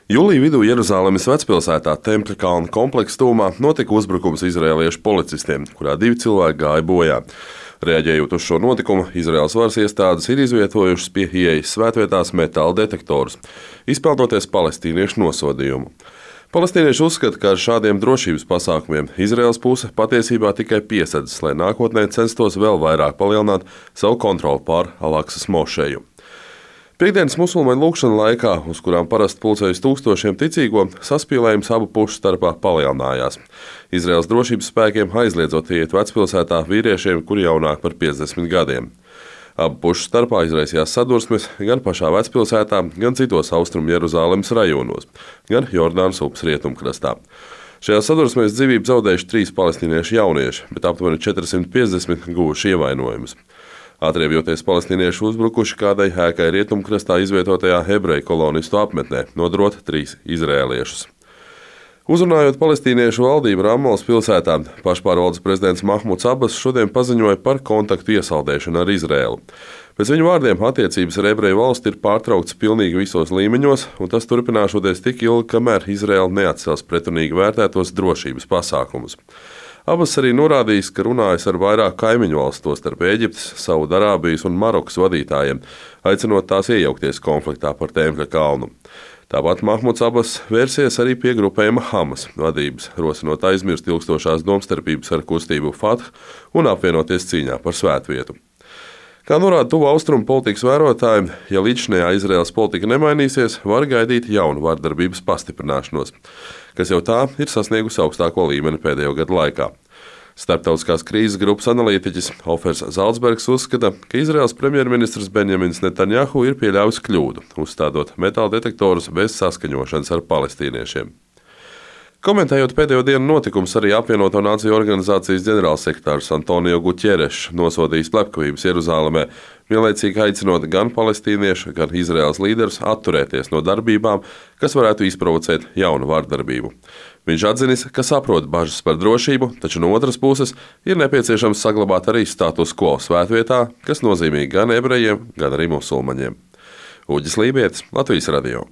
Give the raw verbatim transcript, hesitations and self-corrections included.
Jūlija vidū Jeruzalemes vecpilsētā Tempļa kalna kompleksa tuvumā notika uzbrukums izraēliešu policistiem, kurā divi cilvēki gāja bojā. Reaģējot uz šo notikumu, Izraēlas varas iestādes ir izvietojušas pie ieejas svētvietās metāla detektorus, izpeldoties palestīniešu nosodījumu. Palestīnieši uzskata, ka ar šādiem drošības pasākumiem Izraēlas puse patiesībā tikai piesedzas, lai nākotnē censtos vēl vairāk palielināt savu kontroli pār Al-Aksas mošeju. Piektdienas musulmaņu lūgšanu laikā, uz kurām parasti pulcējas tūkstošiem ticīgo, saspīlējums abu pušu starpā palielinājās. Izraēlas drošības spēkiem aizliedzot iet vecpilsētā vīriešiem, kuri jaunāk par piecdesmit gadiem. Abu pušu starpā izraisījās sadursmes gan pašā vecpilsētā, gan citos austrumu Jeruzalemes rajonos, gan Jordānas upes rietumkrastā. Šajā sadursmēs dzīvību zaudējuši trīs palestīniešu jaunieši, bet aptuveni četri simti piecdesmit guvuši ievainojumus. Atriebjoties palestīnieši uzbrukuši kādai ēkai rietumkrastā izvietotajā hebreju kolonistu apmetnē, nodrot trīs izraēliešus. Uzrunājot palestīniešu valdību Rammalas pilsētā, pašpārvaldes prezidents Mahmuds Abas šodien paziņoja par kontaktu iesaldēšanu ar Izraēlu. Pēc viņu vārdiem attiecības ar ebreju valsti ir pārtrauktas pilnīgi visos līmeņos, un tas turpināšoties tik ilgi, kamēr Izraēla neatcels pretrunīgi vērtētos drošības pasākumus. Abas arī norādījis, ka runājas ar vairāk kaimiņu valstu, tostarp Ēģiptes, Saudarābijas un Marokas vadītājiem, aicinot tās iejaukties konfliktā par Tempļa kalnu. Tāpat Mahmuds Abas vērsies arī pie grupējuma Hamas vadības, rosinot aizmirst ilgstošās domstarpības ar kustību Fatah un apvienoties cīņā par svētvietu. Kā norāda tuvu austrumu politikas vērotāji, ja līdzinējā Izraēlas politika nemainīsies, var gaidīt jaunu vardarbības pastiprināšanos, kas jau tā ir sasniegusi augstāko līmeni pēdējo gadu laikā. Starptautiskās krīzes grupas analītiķis Ofers Zalcbergs uzskata, ka Izraēlas premjerministrs Benjamins Netanjahu ir pieļāvis kļūdu, uzstādot metāla detektorus bez saskaņošanas ar palestīniešiem. Komentējot pēdējo dienu notikumus, arī apvienoto nāciju organizācijas ģenerālsekretārs Antonio Guterres nosodījis slepkavības Jeruzalemē, vienlaicīgi aicinot gan palestīniešu, gan Izraēlas līderus atturēties no darbībām, kas varētu izprovocēt jaunu vardarbību. Viņš atzinis, ka saprot bažas par drošību, taču no otras puses ir nepieciešams saglabāt arī status quo svētvietā, kas nozīmīgi gan ebrejiem, gan arī musulmaņiem. Uģis Lībietis, Latvijas radio.